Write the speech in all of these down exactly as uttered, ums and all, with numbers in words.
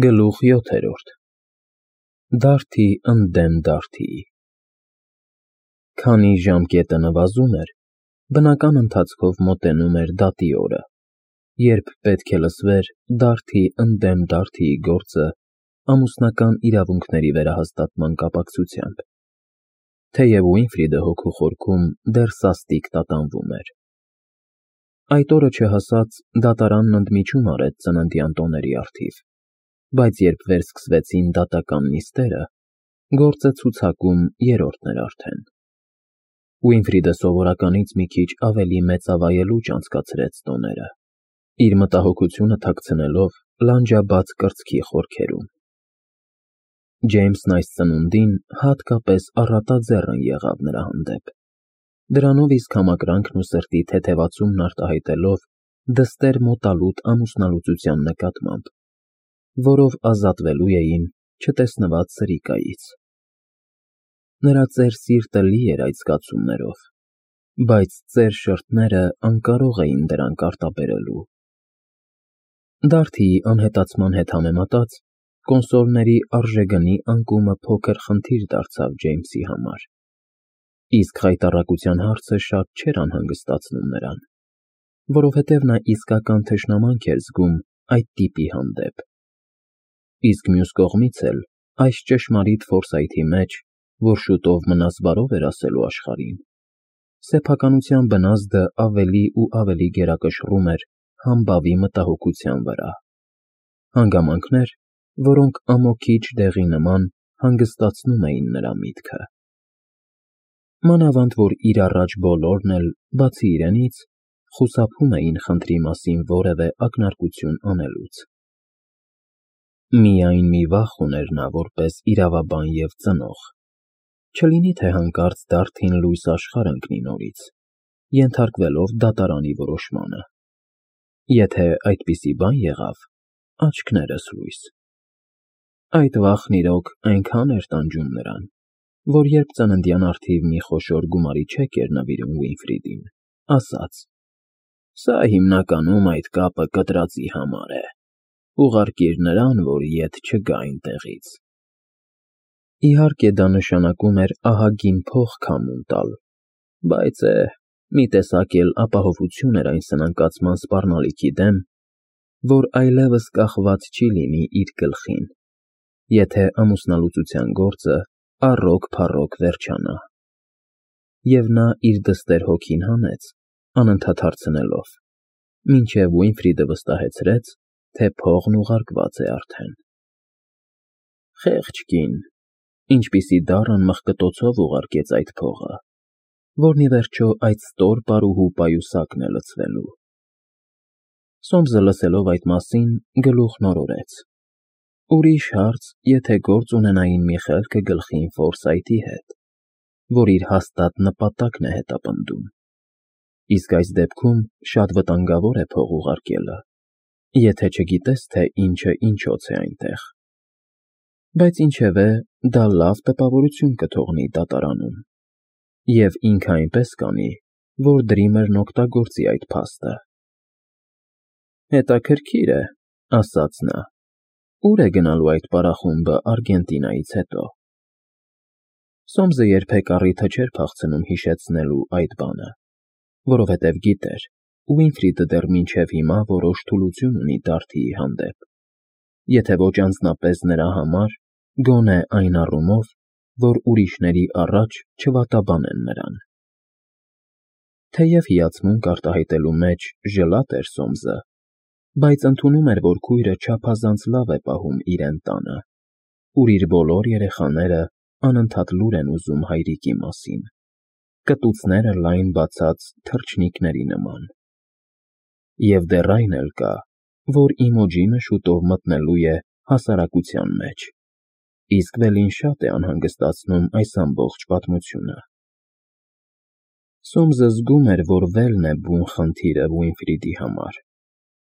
Գլուխ յոթերորդ Դարդի ընդդեմ դարդիի Քանի ժամկետը նվազում էր, բնական ընթացքով մոտենում էր դատի օրը, երբ պետք է լսվեր դարդի ընդդեմ դարդիի գործը ամուսնական իրավունքների վերահաստատման կապակցությամբ, թեև Ուինֆրիդը հոգու խորքում դեռ սաստիկ տատանվում էր։ Այդ օրը չհասած դատարանն ընդմիջում արեց ծննդյան տոների առթիվ, բայց երբ վերսկսվեցին դատական նիստերը, գործը ցուցակում երրորդն էր արդեն։ Ուինֆրիդը սովորականից մի քիչ ավելի մեծավայելուչ անցկացրեց տոները, իր մտահոգությունը թաքցնելով լանջաբաց կրծքի խորքերում։ Ջեյմսն այս ծնունդին հատկապես առատաձեռն եղավ նրա հանդեպ, դրանով իսկ համակրանքն ու սրտի թեթևացումն արտահայտելով դստեր մոտալուտ ամուսնալուծության նկատմամբ, որով ազատվելու էին չտեսնված սրիկայից։ Նրա ծեր սիրտը լի էր այդ զգացումներով, բայց ծեր շրթները անկարող էին դրանք արտաբերելու։ Դարդիի անհետացման հետ համեմատած, կոնսոլների արժեգնի անկումը փոքր խնդիր դարձավ Ջեյմսի համար, իսկ խայտառակության հարցը շատ չէր անհանգստացնում նրան, որովհետև նա իսկական թշնամանք էր զգում այդ տիպի հանդեպ։ Իսկ մյուս կողմից էլ, այս ճշմարիտ ֆորսայթի մեջ, որ շուտով մնաս բարով էր ասելու աշխարհին, սեփականության բնազդը ավելի ու ավելի գերակշռում էր համբավի մտահոգության վրա, հանգամանքներ, որոնք ամոթի ջդեղի նման հանգստացնում էին նրա միտքը։ Մանավանդ որ իր առաջ բոլորն էլ, բացի իրենից, խուսափում էին խնդրի մասին որևէ ակնարկություն անելուց։ Միայն մի վախ ուներ նա որպես իրավաբան և ծնող, չլինի թե հանկարծ դարդին լույս աշխարհ ընկնի նորից, ենթարկվելով դատարանի որոշմանը։ Եթե այդպիսի բան եղավ, աչքներս լույս։ Այդ վախն իրոք այնքան էր տանջում նրան, որ երբ ծննդյան առթիվ մի խոշոր գումարի չեք էր նվիրում Ուինֆրիդին, ասաց. «Սա հիմնականում այդ կապը կտրածի համար է, ուղարկիր նրան, որ ետ չգա այնտեղից»։ Իհարկե դա նշանակում էր ահագին փող քամուն տալ, բայց է, մի տեսակ էլ ապահովություն էր այն սնանկացման սպառնալիքի դեմ, որ այլևս կախված չի լինի իր գլխին, եթե ամուսնալուծության գործը առօգ-փառօգ վերջանա։ Եվ նա իր դստեր հոգին հանեց, անընդհատ հարցնելով, մինչև Ուինֆրիդը վստահեցրեց, թե փողն ուղարկված է արդեն։ Խեղճ կին, ինչպիսի դառն մղկտոցով ուղարկեց այդ փողը, որն ի վերջո այդ ստոր պարուհու պայուսակն է լցվելու։ Սոմսը լսելով այդ մասին, գլուխն օրորեց։ Ուրիշ հարց, եթե գործ ունենային մի խելքը գլխին Ֆորսայթի հետ, որ իր հաստատ նպատակն է հետապնդում։ Իսկ այս դեպքում շատ վտանգավոր է փող ուղարկելը, եթե չգիտես, թե ինչը ինչոց է այնտեղ։ Բայց ինչևէ, դա լավ տպավորություն կթողնի դատարանում, և ինքը այնպես կանի, որ Դրիմերն օգտագործի այդ փաստը։ Հետաքրքիր է, ասաց նա, ուր է գնալու այդ պարախումբը Արգենտինայից հետո։ Սոմսը երբեք առիթը չէր փախցնում հիշեցնելու այդ բանը, որովհետև գիտեր, Ուինֆրիդը դեռ մինչև հիմա որոշ թուլություն ունի Դարդիի հանդեպ, եթե ոչ անձնապես նրա համար, գոնե այն առումով, որ ուրիշների առաջ չվատաբանեն նրան։ Թեև հիացմունք արտահայտելու մեջ ժլատ էր Սոմսը, բայց ընդունում էր, որ քույրը չափազանց լավ է պահում իրեն տանը, ուր իր բոլոր երեխաները անընդհատ լուր են ուզում հայրիկի մասին, կտուցները լայն բացած թռչնիկների նման։ Եվ դեռ այն էլ կա, որ Իմոջինը շուտով մտնելու է հասարակության մեջ, իսկ Վելին շատ է անհանգստացնում այս ամբողջ պատմությունը։ Սոմսը զգում էր, որ Վելն է բուն խնդիրը Ուինֆրիդի համար։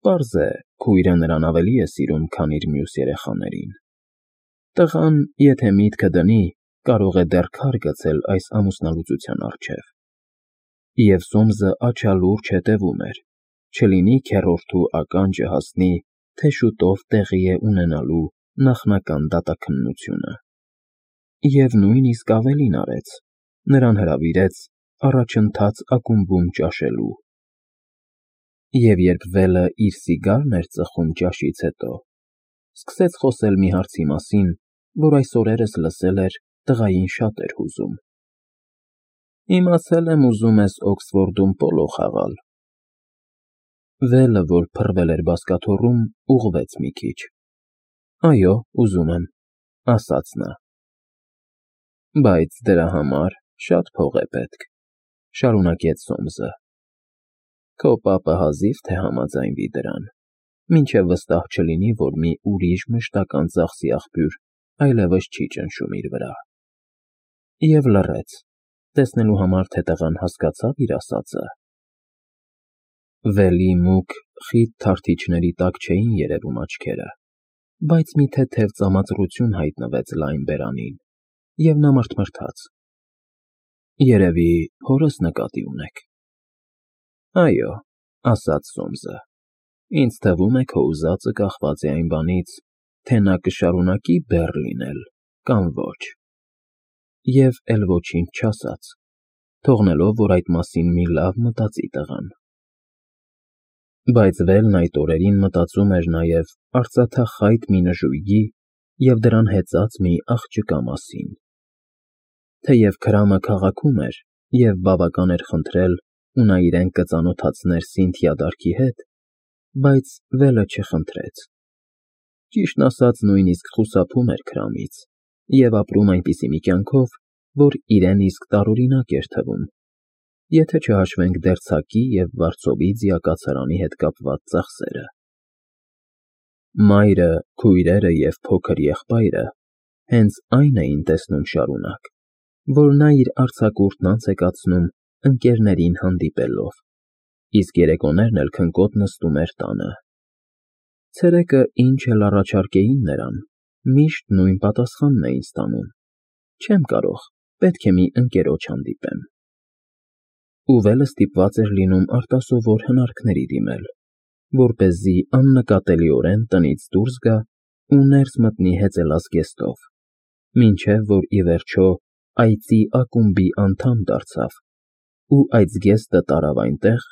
Պարզ է, քույրը նրան ավելի է սիրում, քան իր մյուս երեխաներին։ Տղան, եթե միտքը դնի, կարող է դեռ քար գցել այս ամուսնալուծության առջև։ Եվ Սոմսը աչալուրջ հետևում էր, չլինի քեռորդու ականջը հասնի թե շուտով տեղի է ունենալու նախնական դատաքննությունը։ Եվ նույնիսկ ավելին արեց, նրան հրավիրեց առաջընթաց ակումբում ճաշելու։ Եվ երբ Վելը իր սիգարն էր ծխում ճաշից հետո, սկսեց խոսել մի հարցի մասին, որ այս օրերս լսել էր տղային շատ էր հուզում։ Իմացել եմ, ուզում ես Օքսֆորդում պոլո խաղալ։ Վելը, որ փռվել էր բազկաթոռում, ուղղվեց մի քիչ։ Այո, ուզում եմ, ասաց նա։ Բայց դրա համար շատ փող է պետք, շարունակեց Սոմսը։ Քո պապը հազիվ թե համաձայնվի դրան, մինչև վստահ չլինի, որ մի ուրիշ մշտական ծախսի աղբյուր այլևս չի ճնշում իր վրա։ Եվ լռեց, տեսնելու համար, թե տղան հասկացավ իր ասածը։ Վելի մուգ, խիտ թարթիչների տակ չէին երևում աչքերը, բայց մի թեթև ծամածռություն հայտնվեց լայն բերանին, և նա մռթմռթաց։ Երևի հորս նկատի ունեք։ Այո, ասաց Սոմսը, ինձ թվում է քո ուզածը կախված է այն բանից, թե նա կշարունակի բեռ լինել կամ ոչ։ Եվ էլ ոչինչ չասաց, թողնելով, որ այդ մասին մի լավ մտածի տղան։ Բայց Վելն այդ օրերին մտածում էր նաև արծաթախայտ մի նժույգի և դրան հեծած մի աղջկա մասին։ Թեև Քրամը քաղաքում էր և բավական էր խնդրել, ու նա իրեն կծանոթացներ Սինթիա դարքի հետ, բայց Վելը չխնդրեց։ Ճիշտն ասած, նույնիսկ խուսափում էր Քրամից և ապրում այնպիսի մի կյանքով, որ իրեն իսկ տարօրինակ էր թվում, եթե չհաշվենք դերձակի և վարձովի ձիակացարանի հետ կապված ծախսերը։ Մայրը, քույրերը և փոքր եղբայրը հենց այն էին տեսնում շարունակ, որ նա իր արձակուրդն անց է կացնում ընկերներին հանդիպելով, իսկ երեկոներն էլ քնկոտ նստում էր տանը։ Ցերեկը ինչ էլ առաջարկեին նրան, միշտ նույն պատասխանն էին ստանում. չեմ կարող, պետք է մի ընկերոջ հանդիպեմ։ Ու Վելը ստիպված էր լինում արտասովոր հնարքների դիմել, որպեսզի աննկատելիորեն տնից դուրս գա ու ներս մտնի հեծելած զգեստով, մինչև որ ի վերջո այծի ակումբի անդամ դարձավ ու այդ զգեստը տարավ այնտեղ,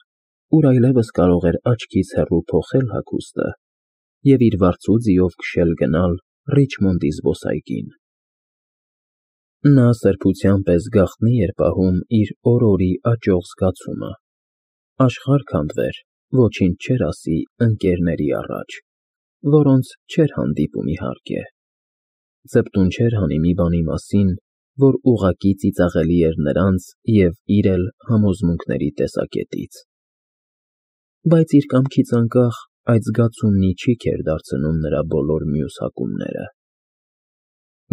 ուր այլևս կարող էր աչքից հեռու փոխել հագուստը և իր վարձու ձիով քշել գնալ Ռիչմոնդի զբոսայգին։ Նա սրբության պես գաղտնի էր պահում իր օր֊օրի աճող զգացումը, աշխարհ քանդվեր, ոչինչ չէր ասի ընկերների առաջ, որոնց չէր հանդիպում իհարկե, ձպտուն չէր հանի մի բանի մասին, որ ուղղակի ծիծաղելի էր նրանց և իր էլ համոզմունքների տեսակետից։ Բայց իր կամքից անկախ այդ զգացումն ի չիք էր դարձնում նրա բոլոր մյուս հակումները։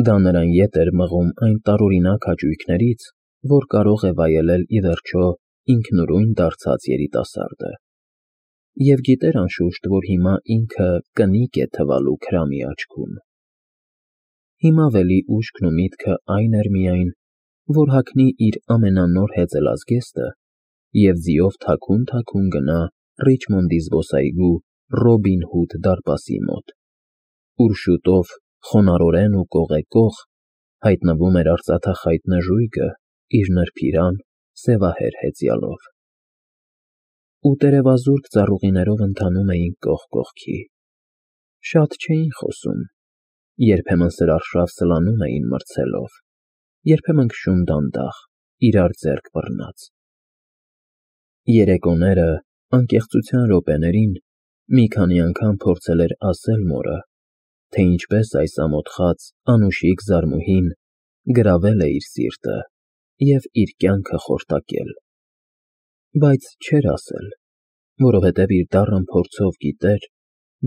Դա նրան ետ էր մղում այն տարօրինակ հաճույքներից, որ կարող է վայելել ի վերջո ինքնուրույն դարձած երիտասարդը։ Եվ գիտեր անշուշտ, որ հիմա ինքը կնիկ է թվալու Քրամի աչքում։ Հիմա Վելի ուշքն ու միտքը այն էր միայն, որ հագնի իր ամենանոր հեծելած զգեստը և ձիով թաքուն֊թաքուն գնա Ռիչմոնդի զբոսայգու Ռոբին Հուդ դարպասի մոտ, ուր շուտով խոնարհորեն ու կողեկող հայտնվում էր արծաթախայտ նժույգը իր նրբիրան, սևահեր հեծյալով։ Ու տերևազուրկ ծառուղիներով ընթանում էին կողք կողքի։ Շատ չէին խոսում, երբեմն սրարշավ սլանում էին մրցելով, երբեմն քշում դանդաղ, իրար ձեռք բռնած։ Երեկոները, անկեղծության րոպեներին, մի քանի անգամ փորձել էր ասել մորը, թե ինչպես այս ամոթխած, անուշիկ զարմուհին գրավել է իր սիրտը և իր կյանքը խորտակել։ Բայց չէր ասել, որովհետև իր դառն փորձով գիտեր.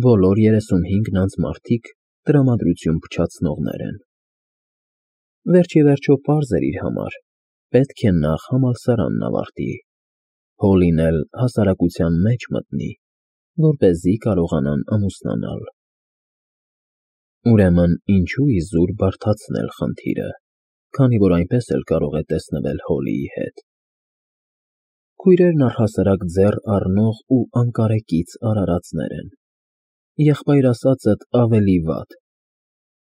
բոլոր երեսունհինգն անց մարդիկ տրամադրություն փչացնողներ են։ Վերջ ի վերջո պարզ էր իր համար. պետք է նախ համալսարանն ավարտի, Հոլին էլ հասարակության մեջ մտնի, որպեսզի կարողանան ամուսնանալ։ Ուրեմն ինչու իզուր բարդացնել խնդիրը, քանի որ այնպես էլ կարող է տեսնվել Հոլիի հետ։ Քույրերն առհասարակ ձեռ առնող ու անկարեկից արարածներ են։ եղբայր ասածդ ավելի վատ,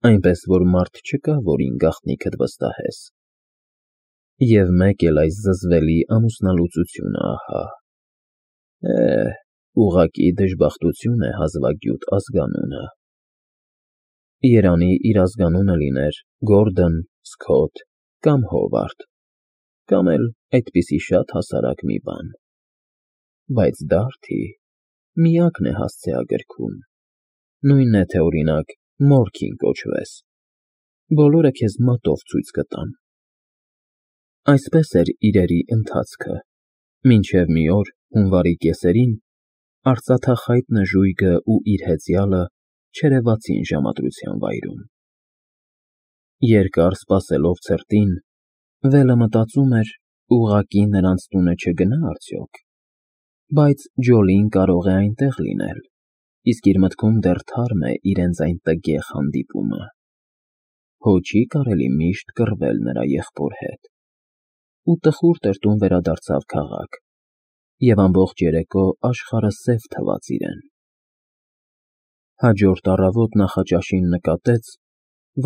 այնպես որ մարդ չկա, որին գաղտնիքդ վստահես։ Եվ մեկ էլ այս զզվելի ամուսնալուծությունը ահա։ Է, ուղղակի դժբախտություն է հազվագյուտ ազգանունը։ Երանի իր ազգանունը լիներ Գորդոն, Սքոթ կամ Հովարդ, կամ էլ այդպիսի շատ հասարակ մի բան։ Բայց Դարթի միակն է հասցեագրքում, նույնն է, թե օրինակ Մորքին կոչվես, բոլորը քեզ մատով ցույց կտան։ Այսպես էր իրերի ընթացքը, մինչև մի օր հունվարի կեսերին արծաթախայտ նժույգը ու իր հեծյալը չերևացին ժամադրության վայրում։ Երկար սպասելով ցրտին, Վելը մտածում էր, ուղղակի նրանց տունը չգնա արդյոք, բայց Ջոլին կարող է այնտեղ լինել, իսկ իր մտքում դեռ թարմ է իրենց այն տգեղ հանդիպումը։ Հո չի կարելի միշտ կռվել նրա եղբոր հետ։ Ու տխուր տրտում վերադարձավ քաղաք, և ամբողջ երեկո աշխարհը սև թվաց իրեն։ Հաջորդ առավոտ նախաճաշին նկատեց,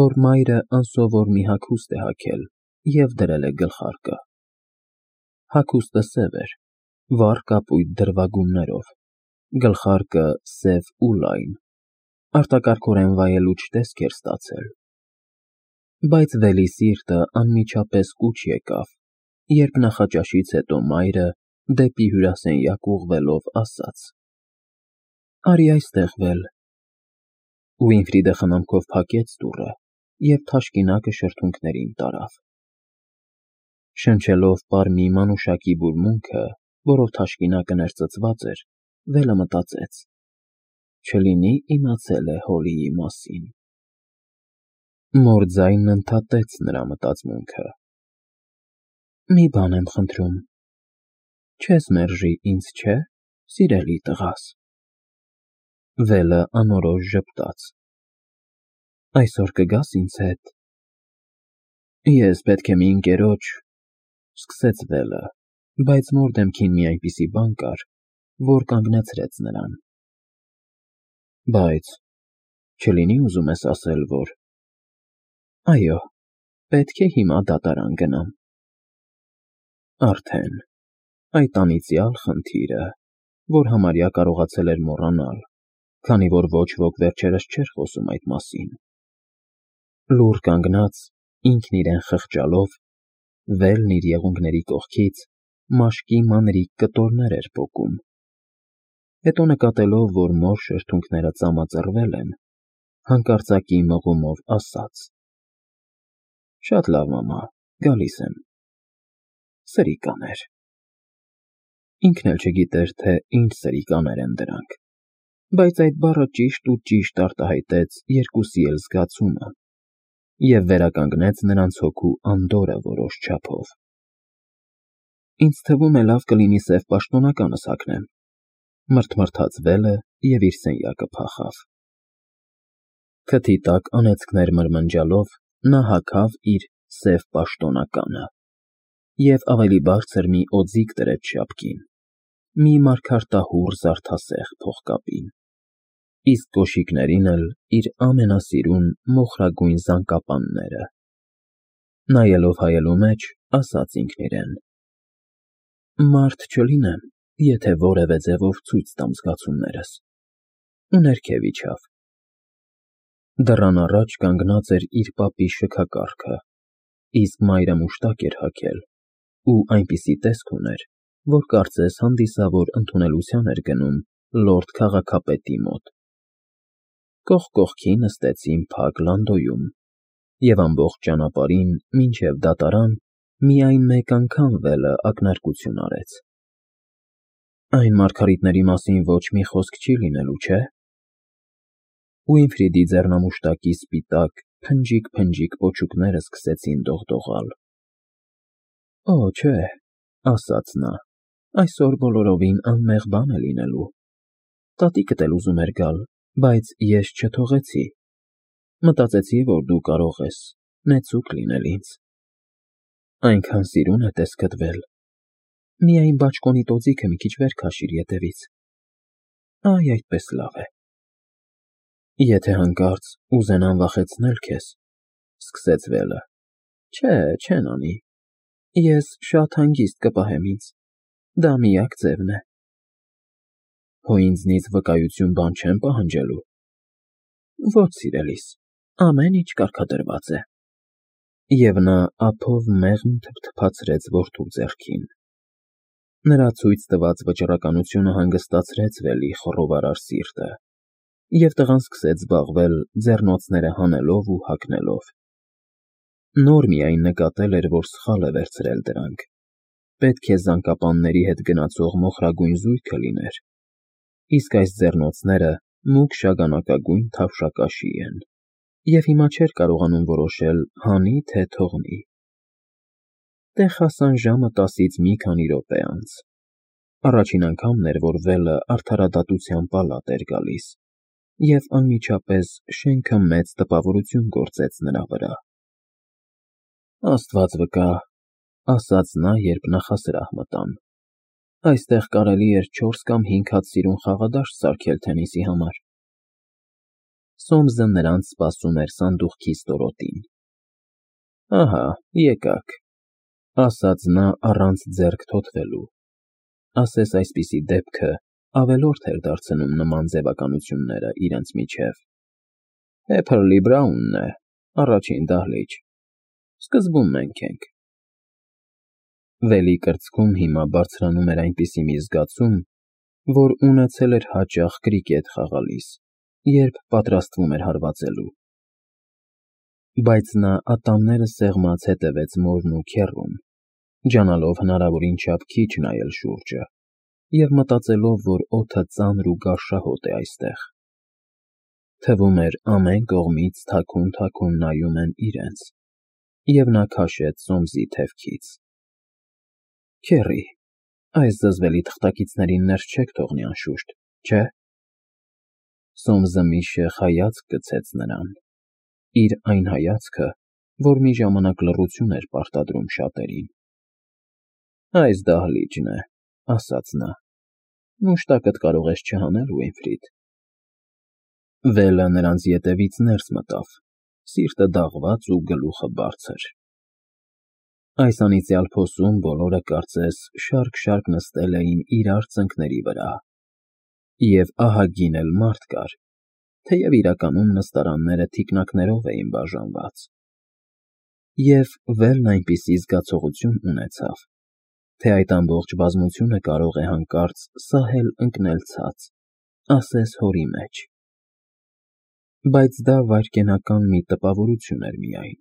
որ մայրը անսովոր մի հագուստ է հագել և դրել է գլխարկը։ Հագուստը սև էր, վառ կապույտ դրվագումներով, գլխարկը սև ու լայն, արտակարգորեն վայելուչ տեսք էր ստացել։ Բայց Վելի սիրտը անմիջապես կուչ եկավ, երբ նախաճաշից հետո մայրը դեպի հյուրասենյակ ուղղվելով ասաց. «Արի այստեղ, Վել»։ Ուինֆրիդը խնամքով փակեց դուռը և թաշկինակը շրթունքներին տարավ։ Շնչելով պար մի մանուշակի բուրմունքը, որով թաշկինակը ներծծված էր, Վելը մտածեց. չլինի իմացել է Հոլիի մասին։ Մոր ձայնն ընդհատեց նրա մտածմունքը. «Մի բան եմ խնդրում, չես մերժի ինձ, չէ՞, սիրելի տղաս»։ Վելը անորոշ ժպտաց. «Այսօր կգաս ինձ հետ»։ Ես պետք է մի ընկերոջ, սկսեց Վելը, բայց Մոր դեմքին մի այնպիսի բան կար, որ կանգնեցրեց նրան։ Բայց չլինի ուզում ես ասել, որ… Այո, պետք է հիմա դատարան գնամ։ Արդեն… այդ անիծյալ խնդիրը, որ համարյա կարողացել էր մոռանալ, քանի որ ոչ ոք վերջերս չէր խոսում այդ մասին։ Լուռ կանգնած, ինքն իրեն խղճալով, Վելն իր եղունգների կողքից մաշկի մանրիկ կտորներ էր պոկում։ Հետո նկատելով, որ Մոր շրթունքները ծամածռվել են, հանկարծակի մղումով ասաց. «Շատ լավ, մամա, գալիս եմ»։ Սրիկաներ։ Ինքն էլ չգիտեր, թե ինչ սրիկաներ են դրանք, բայց այդ բառը ճիշտ ու ճիշտ արտահայտեց երկուսի էլ զգացումը և վերականգնեց նրանց հոգու անդորրը որոշ չափով։ Ինձ թվում է լավ կլինի սև պաշտոնականս հագնեմ, մռթմռթաց Վելը և իր սենյակը փախավ։ Քթի տակ անեծքներ մրմնջալով նա հագավ իր սև պաշտոնականը և ավելի բարձր մի օձիք դրեց շապքին, մի մարգարտահուռ զարդասեղ փողկապին, իսկ կոշիկներին էլ իր ամենասիրուն մոխրագույն զանգապանները։ Նայելով հայելու մեջ, ասաց ինքն իրեն. «Մարդ չլինեմ, եթե որևէ ձևով ցույց տամ զգացումներս»։ Ու ներքև իջավ։ Դռան առաջ կանգնած էր իր պապի շքակառքը, իսկ մայրը մուշտակ էր հագել ու այնպիսի տեսք ուներ, որ կարծես հանդիսավոր ընդունելության էր գնում լորդ քաղաքապետի մոտ։ Կողք կողքի նստեցին փակ լանդոյում, և ամբողջ ճանապարհին մինչև դատարան միայն մեկ անգամ Վելը ակնարկություն արեց. «Այն մարգարիտների մասին ոչ մի խոսք չի լինելու, չէ՞»։ Ուինֆրիդի ձեռնամուշտակի սպիտակ, փնջիկ֊փնջիկ պոչուկները սկսեցին դողդողալ։ «Օ, չէ», ասաց նա, «այսօր բոլորովին անմեղ բան է լինելու։ Տատիկդ էլ ուզում էր գալ, բայց ես չթողեցի։ Մտածեցի, որ դու կարող ես նեցուկ լինել ինձ։ Այնքան սիրուն է տեսքդ, Վել, միայն բաճկոնիդ օձիքը մի քիչ վեր քաշիր ետևից։ Այ այդպես լավ է»։ Եթե հանկարծ ուզենան վախեցնել քեզ, սկսեց Վելը, չէ, չեն անի, ես շատ հանգիստ կպահեմ ինձ, դա միակ ձևն է։ Հո ինձնից վկայություն բան չեն պահանջելու։ Ոչ, սիրելիս, ամեն ինչ կարգադրված է։ Եվ նա ափով մեղմ թփթփացրեց որդու ձեռքին։ Նրա ցույց տված վճռականությունը հանգստացրեց Վելի խռովարար սիրտը, և տղան սկսեց զբաղվել ձեռնոցները հանելով ու հագնելով։ Նոր միայն նկատել էր, որ սխալ է վերցրել դրանք, պետք է զանգապանների հետ գնացող մոխրագույն զույգը լիներ, իսկ այս ձեռնոցները մուգ շագանակագույն թավշակաշի են, և հիմա չէր կարողանում որոշել հանի, թե թողնի։ Տեղ հասան ժամը տասից մի քանի րոպե անց։ Առաջին անգամն էր, որ Վելը արդարադատության պալատ էր գալիս, և անմիջապես շենքը մեծ տպավորություն գործեց նրա վրա։ Աստված վկա, ասաց նա, երբ նախասրահ մտան, այստեղ կարելի էր չորս կամ հինգ հատ սիրուն խաղադաշտ սարքել թենիսի համար։ Սոմսը նրանց սպասում էր սանդուղքի ստորոտին։ Ահա, եկաք, ասաց նա առանց ձեռք թոթվելու, ասես այսպիսի դեպքը ավելորդ էր դարձնում նման ձևականությունները իրենց միջև։ Փեպլի Բրաունն է, առաջին դահլիճ, սկզբում մենք ենք։ Վելի կրծքում հիմա բարձրանում էր այնպիսի մի զգացում, որ ունեցել էր հաճախ կրիկետ խաղալիս, երբ պատրաստվում էր հարվածելու։ Բայց նա ատամները սեղմած հետևեց մորն ու քեռուն, ջանալով հնարավորին չափ քիչ նայել շուրջը և մտածելով, որ օդը ծանր ու գարշահոտ է այստեղ։ Թվում էր ամեն կողմից թաքուն֊թաքուն նայում են իրենց, և նա քաշեց Սոմսի թևքից։ Քեռի, այս զզվելի թղթակիցներին ներս չեք թողնի անշուշտ, չէ՞։ Սոմսը մի շեխ հայացք գցեց նրան, իր այն հայացքը, որ մի ժամանակ լռություն էր պարտադրում շատերին։ Այս դահլիճն է, ասաց նա, մուշտակդ կարող ես չհանել, Ուինֆրիդ։ Վելը նրանց ետևից ներս մտավ, սիրտը դաղված ու գլուխը բարձր։ Այս անիծյալ փոսում բոլորը կարծես շարք֊շարք նստել էին իրար ծնկների վրա, և ահագին էլ մարդ կար, թեև իրականում նստարանները թիկնակներով էին բաժանված։ Եվ Վելն այնպիսի զգացողություն ունեցավ, թե այդ ամբողջ բազմությունը կարող է հանկարծ սահել ընկնել ցած, ասես հորի մեջ։ Բայց դա վայրկենական մի տպավորություն էր միայն։